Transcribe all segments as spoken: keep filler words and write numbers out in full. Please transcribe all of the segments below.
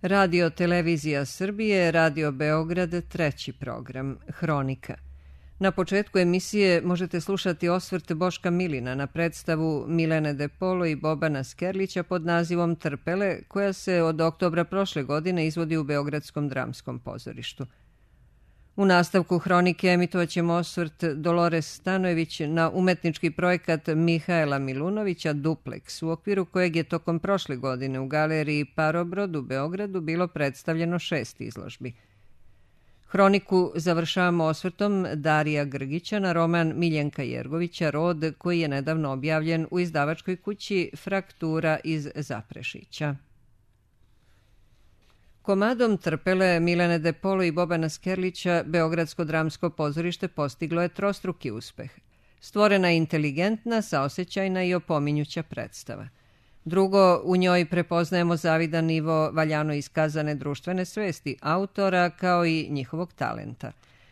Radio Televizija Srbije, Radio Beograd, treći program, Hronika. Na početku emisije možete slušati osvrt Boška Milina na predstavu Milene De Polo i Bobana Skerlića pod nazivom Trpele, koja se od oktobra prošle godine izvodi u Beogradskom dramskom pozorištu. U nastavku Hronike emitovat ćemo osvrt Dolores Stanojević na umetnički projekat Mihaela Milunovića Dupleks, u okviru kojeg je tokom prošle godine u galeriji Parobrod u Beogradu bilo predstavljeno šest izložbi. Hroniku završavamo osvrtom Darija Grgića na roman Miljenka Jergovića Rod, koji je nedavno objavljen u izdavačkoj kući Fraktura iz Zaprešića. Komadom Trpele Milene De Polo i Bobana Skerlića Beogradsko dramsko pozorište postiglo je trostruki uspeh. Stvorena je inteligentna, saosećajna i opominjuća predstava. Drugo, u njoj prepoznajemo zavidan nivo valjano iskazane društvene svesti autora kao i njihovog talenta.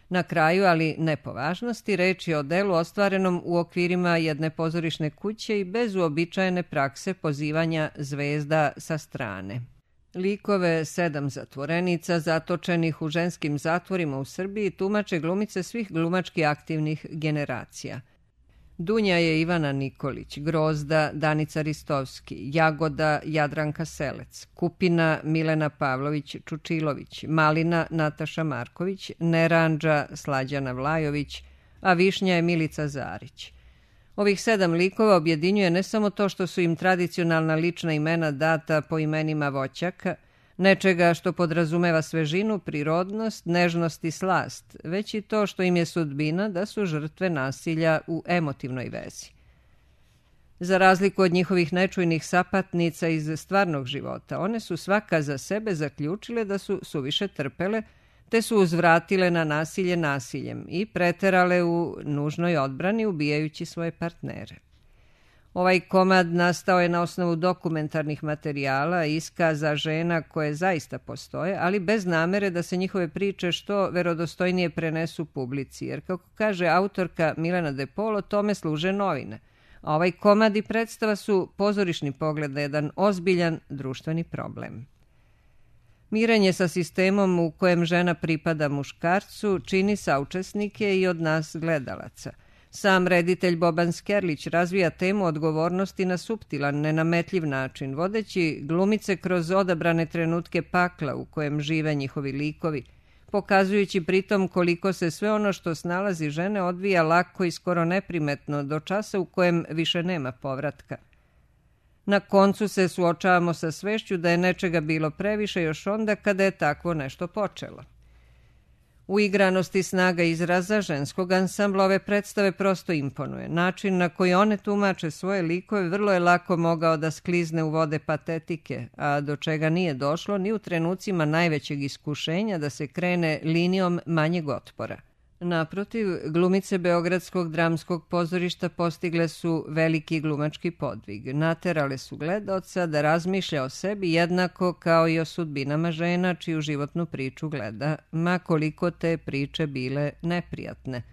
Na kraju, ali ne po važnosti, reč je o delu ostvarenom u okvirima jedne pozorišne kuće i bez uobičajene prakse pozivanja zvezda sa strane. Likove sedam zatvorenica zatočenih u ženskim zatvorima u Srbiji tumače glumice svih glumački aktivnih generacija. Dunja je Ivana Nikolić, Grozda Danica Ristovski, Jagoda Jadranka Selec, Kupina Milena Pavlović Čučilović, Malina Nataša Marković, Neranđa Slađana Vlajović, a Višnja je Milica Zarić. Ovih sedam likova objedinjuje ne samo to što su im tradicionalna lična imena data po imenima voćaka, nečega što podrazumeva svežinu, prirodnost, nežnost i slast, već i to što im je sudbina da su žrtve nasilja u emotivnoj vezi. Za razliku od njihovih nečujnih sapatnica iz stvarnog života, one su svaka za sebe zaključile da su suviše trpele, te su uzvratile na nasilje nasiljem i preterale u nužnoj odbrani ubijajući svoje partnere. Ovaj komad nastao je na osnovu dokumentarnih materijala i iskaza žena koje zaista postoje, ali bez namere da se njihove priče što verodostojnije prenesu publici, jer kako kaže autorka Milena De Polo, tome služe novine. A ovaj komad i predstava su pozorišni pogled na jedan ozbiljan društveni problem. Mirenje sa sistemom u kojem žena pripada muškarcu čini saučesnike i od nas gledalaca. Sam reditelj Boban Skerlić razvija temu odgovornosti na suptilan, nenametljiv način, vodeći glumice kroz odabrane trenutke pakla u kojem žive njihovi likovi, pokazujući pritom koliko se sve ono što snalazi žene odvija lako i skoro neprimetno do časa u kojem više nema povratka. Na koncu se suočavamo sa svešću da je nečega bilo previše još onda kada je takvo nešto počelo. U igranosti snaga izraza ženskog ansambla ove predstave prosto imponuje. Način na koji one tumače svoje likove vrlo je lako mogao da sklizne u vode patetike, a do čega nije došlo ni u trenucima najvećeg iskušenja da se krene linijom manjeg otpora. Naprotiv, glumice Beogradskog dramskog pozorišta postigle su veliki glumački podvig. Naterale su gledaoca da razmišlja o sebi jednako kao i o sudbinama žena čiju životnu priču gleda, ma koliko te priče bile neprijatne.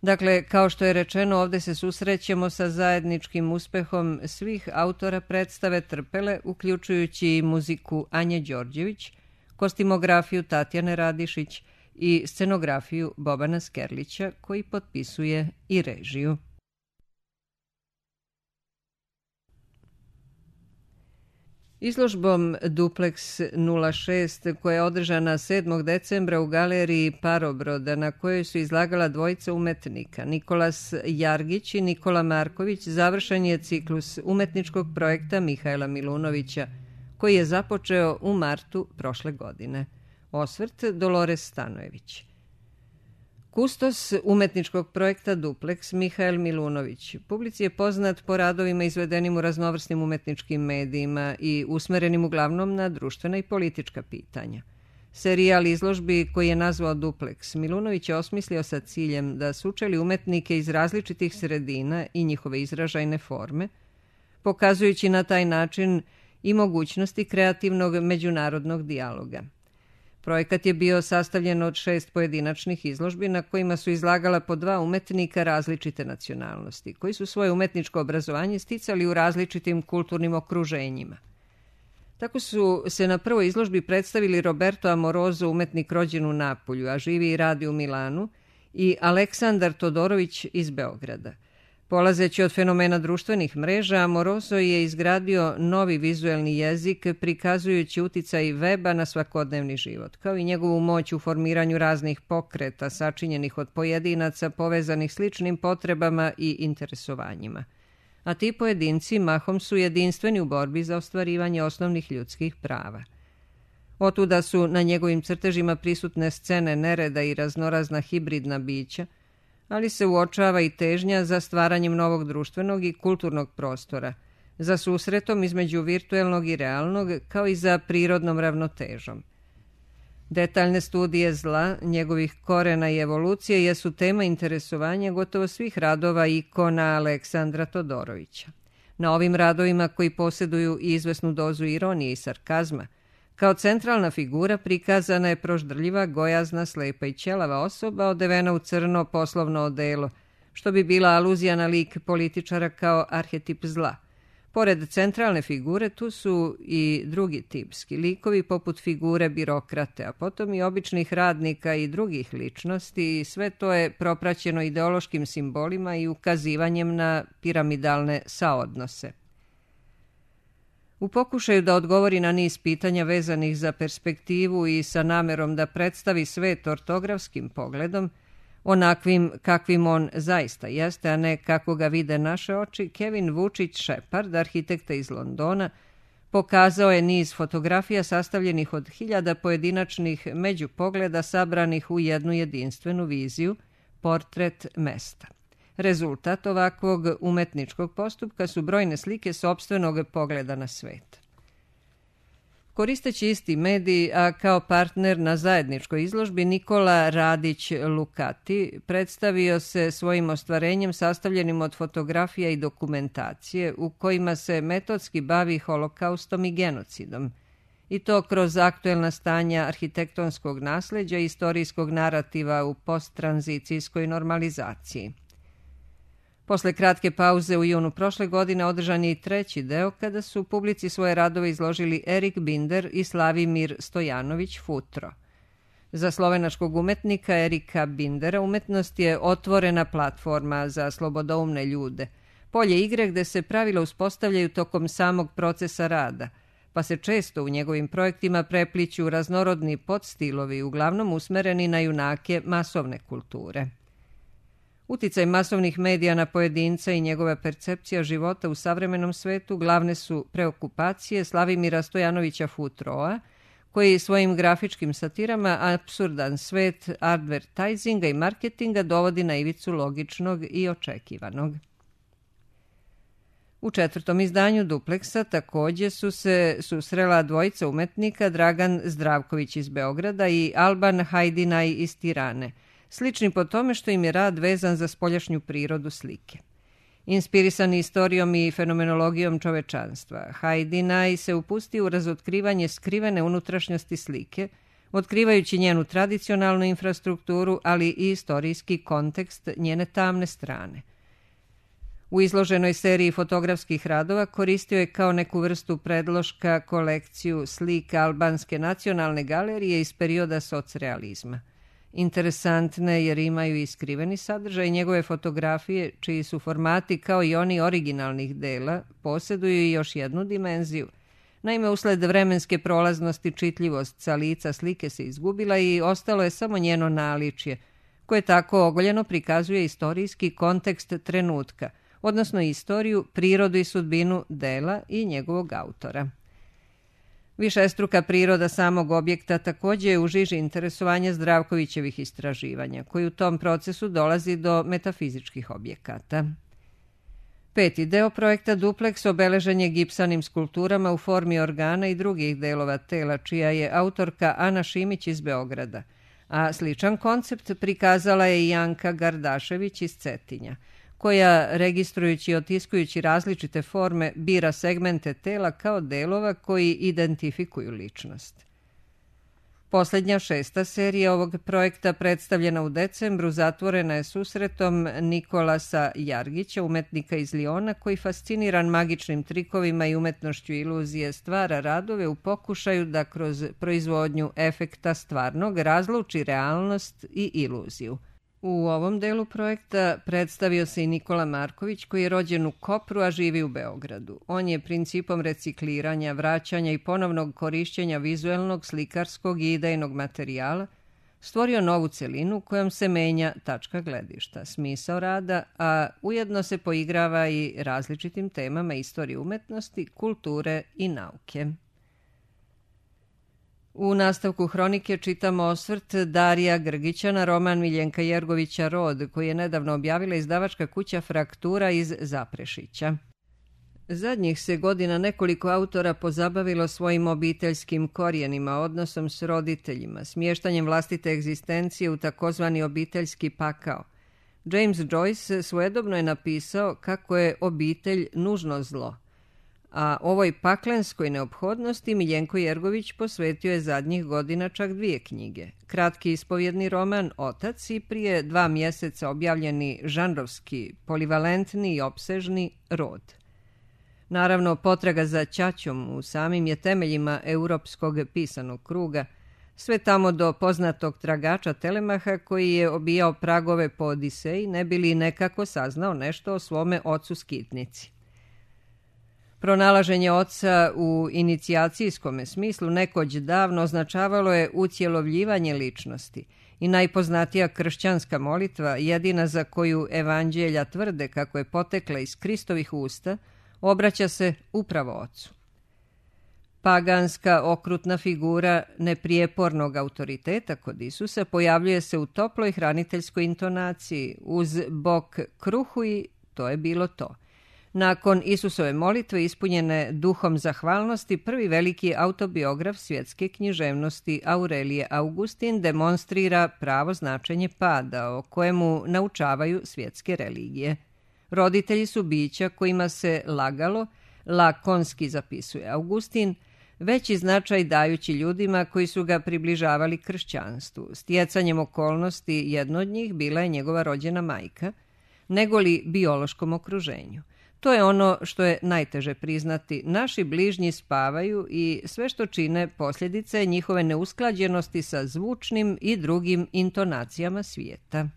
Dakle, kao što je rečeno, ovde se susrećemo sa zajedničkim uspehom svih autora predstave Trpele, uključujući i muziku Anje Đorđević, kostimografiju Tatjane Radišić i scenografiju Bobana Skerlića, koji potpisuje i režiju. Izložbom Dupleks nula šest, koja je održana sedmog decembra u galeriji Parobroda, na kojoj su izlagala dvojica umetnika, Nikolas Jargić i Nikola Marković, završen je ciklus umetničkog projekta Mihaela Milunovića, koji je započeo u martu prošle godine. Osvrt Dolores Stanojević. Kustos umetničkog projekta Dupleks Mihael Milunović publici je poznat po radovima izvedenim u raznovrsnim umetničkim medijima i usmerenim uglavnom na društvena i politička pitanja. Serijal izložbi koji je nazvao Dupleks Milunović je osmislio sa ciljem da sučeli umetnike iz različitih sredina i njihove izražajne forme, pokazujući na taj način i mogućnosti kreativnog međunarodnog dijaloga. Projekat je bio sastavljen od šest pojedinačnih izložbi na kojima su izlagala po dva umetnika različite nacionalnosti, koji su svoje umetničko obrazovanje sticali u različitim kulturnim okruženjima. Tako su se na prvoj izložbi predstavili Roberto Amoroso, umetnik rođen u Napulju, a živi i radi u Milanu, i Aleksandar Todorović iz Beograda. Polazeći od fenomena društvenih mreža, Amoroso je izgradio novi vizuelni jezik prikazujući uticaj weba na svakodnevni život, kao i njegovu moć u formiranju raznih pokreta sačinjenih od pojedinaca povezanih sličnim potrebama i interesovanjima. A ti pojedinci mahom su jedinstveni u borbi za ostvarivanje osnovnih ljudskih prava. Otuda su na njegovim crtežima prisutne scene nereda i raznorazna hibridna bića, ali se uočava i težnja za stvaranjem novog društvenog i kulturnog prostora, za susretom između virtuelnog i realnog, kao i za prirodnom ravnotežom. Detaljne studije zla, njegovih korena i evolucije jesu tema interesovanja gotovo svih radova ikona Aleksandra Todorovića. Na ovim radovima, koji posjeduju izvesnu dozu ironije i sarkazma, kao centralna figura prikazana je proždrljiva, gojazna, slepa i ćelava osoba odevena u crno poslovno odelo, što bi bila aluzija na lik političara kao arhetip zla. Pored centralne figure tu su i drugi tipski likovi poput figure birokrate, a potom i običnih radnika i drugih ličnosti, i sve to je propraćeno ideološkim simbolima i ukazivanjem na piramidalne saodnose. U pokušaju da odgovori na niz pitanja vezanih za perspektivu i sa namerom da predstavi svet ortografskim pogledom, onakvim kakvim on zaista jeste, a ne kako ga vide naše oči, Kevin Vučić Shepard, arhitekta iz Londona, pokazao je niz fotografija sastavljenih od hiljada pojedinačnih međupogleda sabranih u jednu jedinstvenu viziju, portret mesta. Rezultat ovakvog umetničkog postupka su brojne slike sopstvenog pogleda na svet. Koristeći isti medij, a kao partner na zajedničkoj izložbi, Nikola Radić-Lukati predstavio se svojim ostvarenjem sastavljenim od fotografija i dokumentacije u kojima se metodski bavi holokaustom i genocidom, i to kroz aktuelna stanja arhitektonskog nasleđa i istorijskog narativa u posttranzicijskoj normalizaciji. Posle kratke pauze u junu prošle godine održan je i treći deo kada su publici svoje radove izložili Erik Binder i Slavimir Stojanović Futro. Za slovenačkog umetnika Erika Bindera umetnost je otvorena platforma za slobodoumne ljude, polje igre gde se pravila uspostavljaju tokom samog procesa rada, pa se često u njegovim projektima prepliću raznorodni podstilovi, uglavnom usmereni na junake masovne kulture. Uticaj masovnih medija na pojedinca i njegova percepcija života u savremenom svetu glavne su preokupacije Slavimira Stojanovića Futroa, koji svojim grafičkim satirama apsurdan svet advertisinga i marketinga dovodi na ivicu logičnog i očekivanog. U četvrtom izdanju Dupleksa takođe su se susrela dvojica umetnika, Dragan Zdravković iz Beograda i Alban Hajdinaj iz Tirane, slični po tome što im je rad vezan za spoljašnju prirodu slike. Inspirisani istorijom i fenomenologijom čovečanstva, Hajdinaj se upusti u razotkrivanje skrivene unutrašnjosti slike, otkrivajući njenu tradicionalnu infrastrukturu, ali i istorijski kontekst njene tamne strane. U izloženoj seriji fotografskih radova koristio je kao neku vrstu predloška kolekciju slika Albanske nacionalne galerije iz perioda socrealizma. Interesantne jer imaju i skriveni sadržaj, njegove fotografije, čiji su formati kao i oni originalnih dela, posjeduju i još jednu dimenziju. Naime, usled vremenske prolaznosti čitljivost sa lica slike se izgubila i ostalo je samo njeno naličje, koje tako ogoljeno prikazuje istorijski kontekst trenutka, odnosno istoriju, prirodu i sudbinu dela i njegovog autora. Višestruka priroda samog objekta također je u žiži interesovanja Zdravkovićevih istraživanja, koji u tom procesu dolazi do metafizičkih objekata. Peti deo projekta Dupleks obeležen je gipsanim skulpturama u formi organa i drugih delova tela, čija je autorka Ana Šimić iz Beograda, a sličan koncept prikazala je i Janka Gardašević iz Cetinja, koja, registrujući i otiskujući različite forme, bira segmente tela kao delova koji identifikuju ličnost. Posljednja šesta serija ovog projekta, predstavljena u decembru, zatvorena je susretom Nikolasa Jargića, umetnika iz Liona, koji fasciniran magičnim trikovima i umetnošću iluzije stvara radove u pokušaju da kroz proizvodnju efekta stvarnog razluči realnost i iluziju. U ovom delu projekta predstavio se i Nikola Marković, koji je rođen u Kopru, a živi u Beogradu. On je principom recikliranja, vraćanja i ponovnog korišćenja vizuelnog, slikarskog i idejnog materijala stvorio novu celinu kojom se menja tačka gledišta, smisao rada, a ujedno se poigrava i različitim temama istorije umetnosti, kulture i nauke. U nastavku hronike čitamo osvrt Darija Grgića na roman Miljenka Jergovića Rod, koji je nedavno objavila izdavačka kuća Fraktura iz Zaprešića. Zadnjih se godina nekoliko autora pozabavilo svojim obiteljskim korijenima, odnosom s roditeljima, smještanjem vlastite egzistencije u takozvani obiteljski pakao. James Joyce svojedobno je napisao kako je obitelj nužno zlo, a ovoj paklenskoj neophodnosti Miljenko Jergović posvetio je zadnjih godina čak dvije knjige. Kratki ispovjedni roman Otac i prije dva mjeseca objavljeni žanrovski, polivalentni i opsežni Rod. Naravno, potraga za ćaćom u samim je temeljima europskog pisanog kruga, sve tamo do poznatog tragača Telemaha koji je obijao pragove po Odiseji, ne bi li nekako saznao nešto o svome ocu skitnici. Pronalaženje oca u inicijacijskom smislu nekoć davno označavalo je utjelovljivanje ličnosti i najpoznatija kršćanska molitva, jedina za koju evanđelja tvrde kako je potekla iz Kristovih usta, obraća se upravo ocu. Paganska okrutna figura neprijepornog autoriteta kod Isusa pojavljuje se u toploj hraniteljskoj intonaciji, uz bok kruhu i to je bilo to. Nakon Isusove molitve ispunjene duhom zahvalnosti, prvi veliki autobiograf svjetske književnosti Aurelije Augustin demonstrira pravo značenje pada, o kojemu naučavaju svjetske religije. Roditelji su bića kojima se lagalo, lakonski zapisuje Augustin, veći značaj dajući ljudima koji su ga približavali kršćanstvu. Stjecanjem okolnosti jedno od njih bila je njegova rođena majka, negoli biološkom okruženju. To je ono što je najteže priznati. Naši bližnji spavaju i sve što čine posljedica je njihove neusklađenosti sa zvučnim i drugim intonacijama svijeta.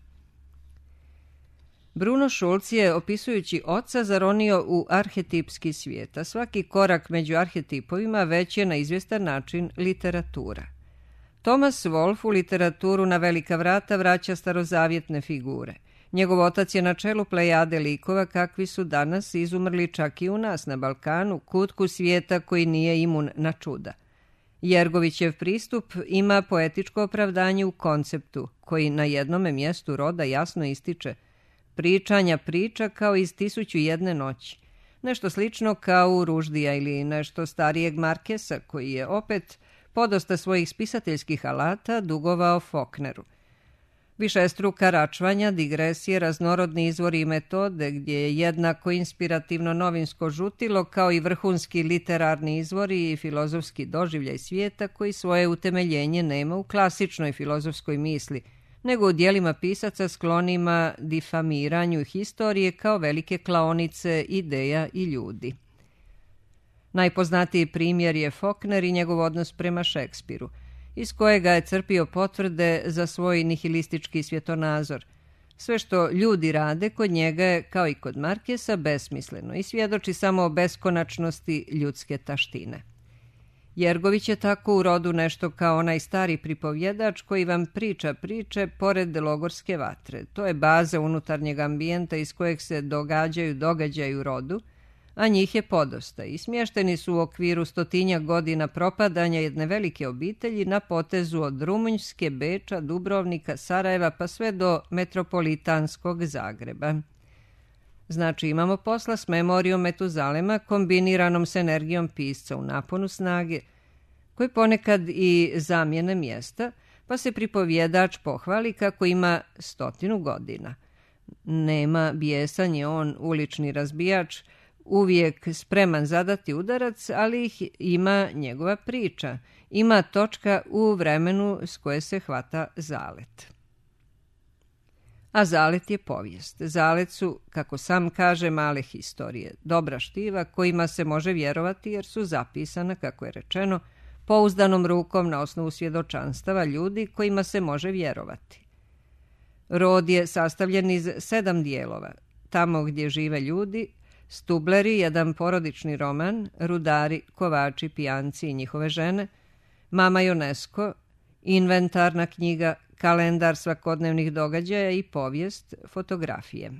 Bruno Schulz je, opisujući oca, zaronio u arhetipski svijet, a svaki korak među arhetipovima već je na izvjestan način literatura. Thomas Wolfe u literaturu na velika vrata vraća starozavjetne figure. Njegov otac je na čelu plejade likova kakvi su danas izumrli čak i u nas na Balkanu, kutku svijeta koji nije imun na čuda. Jergovićev pristup ima poetičko opravdanje u konceptu, koji na jednome mjestu roda jasno ističe pričanja priča kao iz Tisuću jedne noći. Nešto slično kao u Ruždija ili nešto starijeg Markesa, koji je opet podosta svojih spisateljskih alata dugovao Faulkneru. Višestruka račvanja, digresije, raznorodni izvori i metode, gdje je jednako inspirativno novinsko žutilo kao i vrhunski literarni izvori i filozofski doživljaj svijeta koji svoje utemeljenje nema u klasičnoj filozofskoj misli, nego u dijelima pisaca sklonima difamiranju historije kao velike klaonice ideja i ljudi. Najpoznatiji primjer je Faulkner i njegov odnos prema Šekspiru, iz kojega je crpio potvrde za svoj nihilistički svjetonazor. Sve što ljudi rade kod njega je, kao i kod Markesa, besmisleno i svjedoči samo o beskonačnosti ljudske taštine. Jergović je tako u rodu nešto kao onaj stari pripovjedač koji vam priča priče pored logorske vatre. To je baza unutarnjeg ambijenta iz kojeg se događaju događaju u rodu, a njih je podosta i smješteni su u okviru stotinja godina propadanja jedne velike obitelji na potezu od Rumunjske, Beča, Dubrovnika, Sarajeva pa sve do metropolitanskog Zagreba. Znači imamo posla s memorijom Metuzalema kombiniranom s energijom pisca u naponu snage, koji ponekad i zamjene mjesta, pa se pripovjedač pohvali kako ima stotinu godina. Nema bijesan je on ulični razbijač, uvijek spreman zadati udarac, ali ih ima njegova priča. Ima točka u vremenu s koje se hvata zalet. A zalet je povijest. Zalet su, kako sam kaže, male historije, dobra štiva kojima se može vjerovati jer su zapisana, kako je rečeno, pouzdanom rukom na osnovu svjedočanstava ljudi kojima se može vjerovati. Rod je sastavljen iz sedam dijelova. Tamo gdje žive ljudi, Stubleri, jedan porodični roman, Rudari, kovači, pijanci i njihove žene, Mama Ionesco, inventarna knjiga, kalendar svakodnevnih događaja i povijest, fotografije.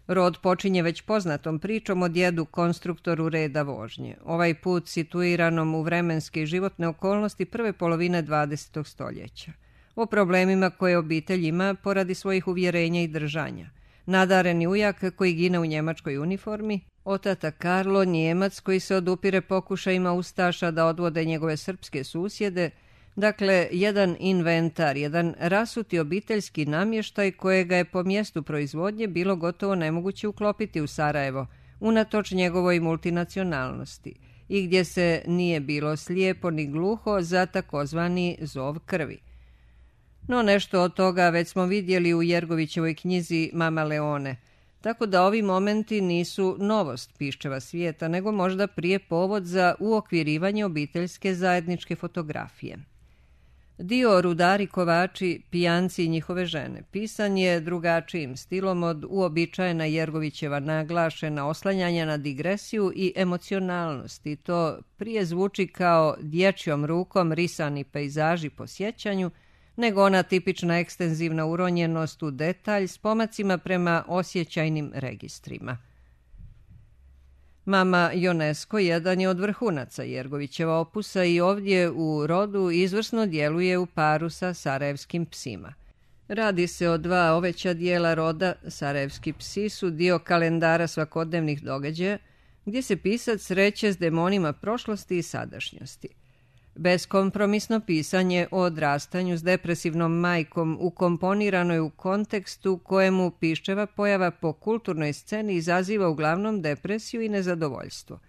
Rod počinje već poznatom pričom o djedu konstruktoru reda vožnje, ovaj put situiranom u vremenske i životne okolnosti prve polovine dvadesetog stoljeća, o problemima koje obitelj ima poradi svojih uvjerenja i držanja. Nadareni ujak koji gine u njemačkoj uniformi, otata Karlo, Njemac koji se odupire pokušajima ustaša da odvode njegove srpske susjede, dakle jedan inventar, jedan rasuti obiteljski namještaj kojega je po mjestu proizvodnje bilo gotovo nemoguće uklopiti u Sarajevo, unatoč njegovoj multinacionalnosti, i gdje se nije bilo slijepo ni gluho za takozvani zov krvi. No nešto od toga već smo vidjeli u Jergovićevoj knjizi Mama Leone, tako da ovi momenti nisu novost piščeva svijeta, nego možda prije povod za uokvirivanje obiteljske zajedničke fotografije. Dio Rudari, kovači, pijanci i njihove žene pisan je drugačijim stilom od uobičajena Jergovićeva naglašena oslanjanja na digresiju i emocionalnost, i to prije zvuči kao dječjom rukom risani pejzaži po sjećanju, nego ona tipična ekstenzivna uronjenost u detalj s pomacima prema osjećajnim registrima. Mama Ionesco jedan je od vrhunaca Jergovićeva opusa i ovdje u Rodu izvrsno djeluje u paru sa Sarajevskim psima. Radi se o dva oveća dijela Roda. Sarajevski psi su dio kalendara svakodnevnih događaja, gdje se pisac sreće s demonima prošlosti i sadašnjosti. Beskompromisno pisanje o odrastanju s depresivnom majkom ukomponirano je u kontekstu kojemu piščeva pojava po kulturnoj sceni izaziva uglavnom depresiju i nezadovoljstvo.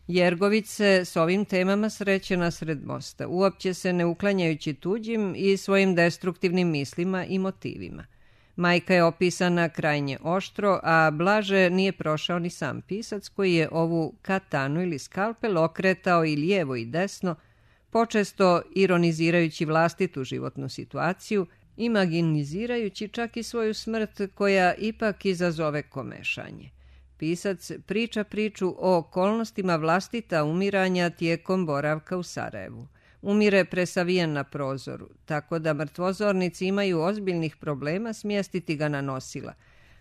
Jergović se s ovim temama sreće nasred mosta, uopće se ne uklanjajući tuđim i svojim destruktivnim mislima i motivima. Majka je opisana krajnje oštro, a blaže nije prošao ni sam pisac koji je ovu katanu ili skalpel okretao i lijevo i desno, počesto ironizirajući vlastitu životnu situaciju, imaginizirajući čak i svoju smrt koja ipak izazove komešanje. Pisac priča priču o okolnostima vlastita umiranja tijekom boravka u Sarajevu. Umire presavijen na prozoru, tako da mrtvozornici imaju ozbiljnih problema smjestiti ga na nosila,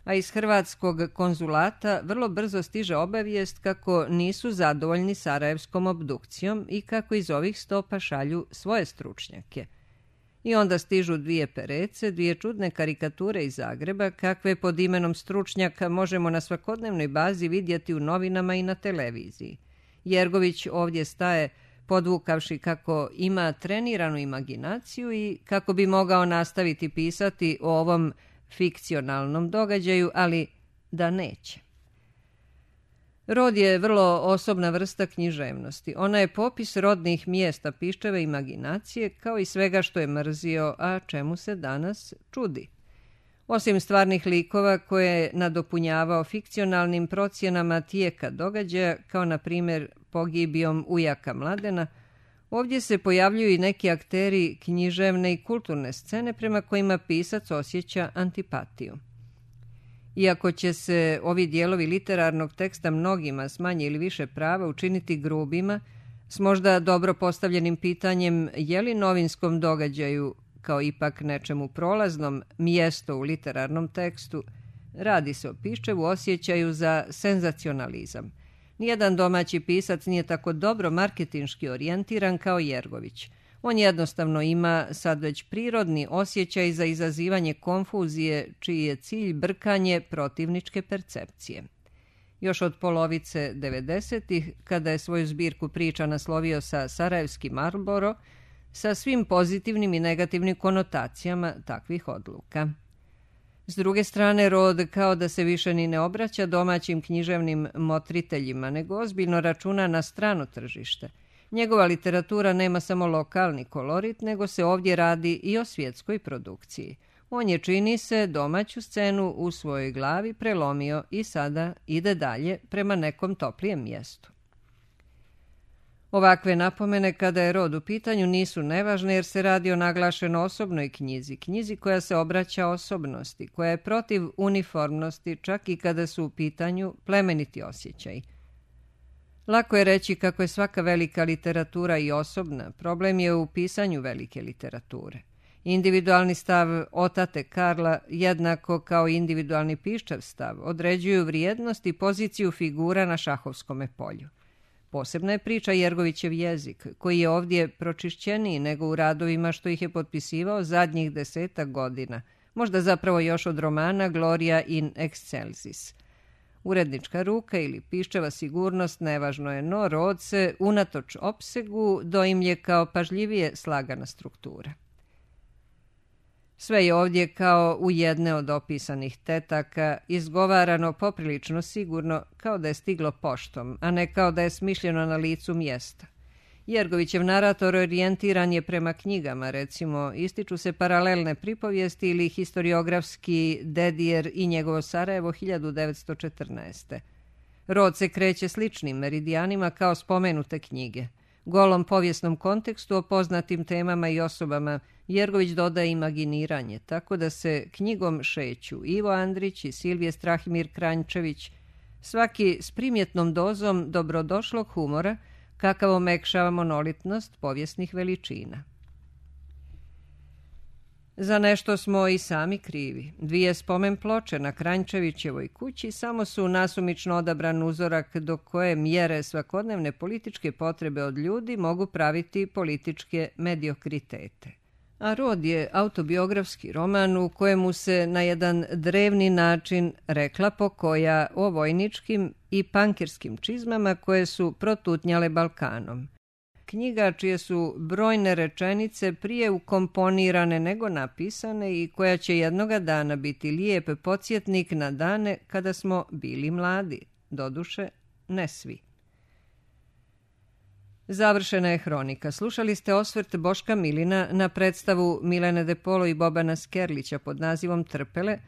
a iz hrvatskog konzulata vrlo brzo stiže obavijest kako nisu zadovoljni sarajevskom obdukcijom i kako iz ovih stopa šalju svoje stručnjake. I onda stižu dvije perece, dvije čudne karikature iz Zagreba, kakve pod imenom stručnjaka možemo na svakodnevnoj bazi vidjeti u novinama i na televiziji. Jergović ovdje staje podvukavši kako ima treniranu imaginaciju i kako bi mogao nastaviti pisati o ovom fikcionalnom događaju, ali da neće. Rod je vrlo osobna vrsta književnosti. Ona je popis rodnih mjesta piščeve imaginacije, kao i svega što je mrzio, a čemu se danas čudi. Osim stvarnih likova koje je nadopunjavao fikcionalnim procjenama tijeka događaja, kao na primjer pogibijom ujaka Mladena, ovdje se pojavljuju i neki akteri književne i kulturne scene prema kojima pisac osjeća antipatiju. Iako će se ovi dijelovi literarnog teksta mnogima s manje ili više prava učiniti grubima, s možda dobro postavljenim pitanjem je li novinskom događaju, kao ipak nečemu prolaznom, mjesto u literarnom tekstu, radi se o piščevu osjećaju za senzacionalizam. Nijedan domaći pisac nije tako dobro marketinški orijentiran kao Jergović. On jednostavno ima sad već prirodni osjećaj za izazivanje konfuzije, čiji je cilj brkanje protivničke percepcije. Još od polovice devedesetih, kada je svoju zbirku priča naslovio sa Sarajevski Marlboro, sa svim pozitivnim i negativnim konotacijama takvih odluka. S druge strane, Rod kao da se više ni ne obraća domaćim književnim motriteljima, nego ozbiljno računa na strano tržište. Njegova literatura nema samo lokalni kolorit, nego se ovdje radi i o svjetskoj produkciji. On je, čini se, domaću scenu u svojoj glavi prelomio i sada ide dalje prema nekom toplijem mjestu. Ovakve napomene kada je Rod u pitanju nisu nevažne jer se radi o naglašeno osobnoj knjizi, knjizi koja se obraća osobnosti, koja je protiv uniformnosti čak i kada su u pitanju plemeniti osjećaji. Lako je reći kako je svaka velika literatura i osobna, problem je u pisanju velike literature. Individualni stav otate Karla, jednako kao individualni piščav stav, određuju vrijednost i poziciju figura na šahovskome polju. Posebna je priča Jergovićev jezik, koji je ovdje pročišćeniji nego u radovima što ih je potpisivao zadnjih desetak godina, možda zapravo još od romana Gloria in excelsis. Urednička ruka ili piščeva sigurnost nevažno je, no Rod se, unatoč opsegu, doimlje kao pažljivije slagana struktura. Sve je ovdje kao u jedne od opisanih tetaka, izgovarano poprilično sigurno, kao da je stiglo poštom, a ne kao da je smišljeno na licu mjesta. Jergovićev narator orijentiran je prema knjigama, recimo ističu se paralelne pripovijesti ili historiografski Dedijer i njegovo Sarajevo hiljadu devetsto četrnaeste. Rod se kreće sličnim meridijanima kao spomenute knjige. Golom povijesnom kontekstu o poznatim temama i osobama Jergović dodaje imaginiranje, tako da se knjigom šeću Ivo Andrić i Silvije Strahimir Kranjčević, svaki s primjetnom dozom dobrodošlog humora, kakav omekšava monolitnost povijesnih veličina. Za nešto smo i sami krivi. Dvije spomen ploče na Kranjčevićevoj kući samo su nasumično odabran uzorak do koje mjere svakodnevne političke potrebe od ljudi mogu praviti političke mediokritete. A Rod je autobiografski roman u kojemu se na jedan drevni način rekla pokoja o vojničkim i pankirskim čizmama koje su protutnjale Balkanom. Knjiga čije su brojne rečenice prije ukomponirane nego napisane i koja će jednoga dana biti lijep podsjetnik na dane kada smo bili mladi, doduše ne svi. Završena je hronika. Slušali ste osvrt Boška Milina na predstavu Milene de Polo i Bobana Skerlića pod nazivom Trpele,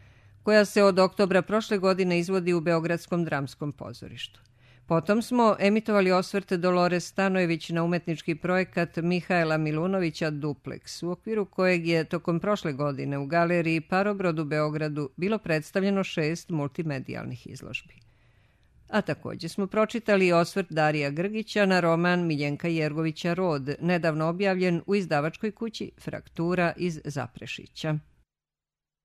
koja se od oktobra prošle godine izvodi u Beogradskom dramskom pozorištu. Potom smo emitovali osvrt Dolores Stanojević na umetnički projekat Mihaela Milunovića Duplex, u okviru kojeg je tokom prošle godine u galeriji Parobrod u Beogradu bilo predstavljeno šest multimedijalnih izložbi. A također smo pročitali osvrt Darija Grgića na roman Miljenka Jergovića Rod, nedavno objavljen u izdavačkoj kući Fraktura iz Zaprešića.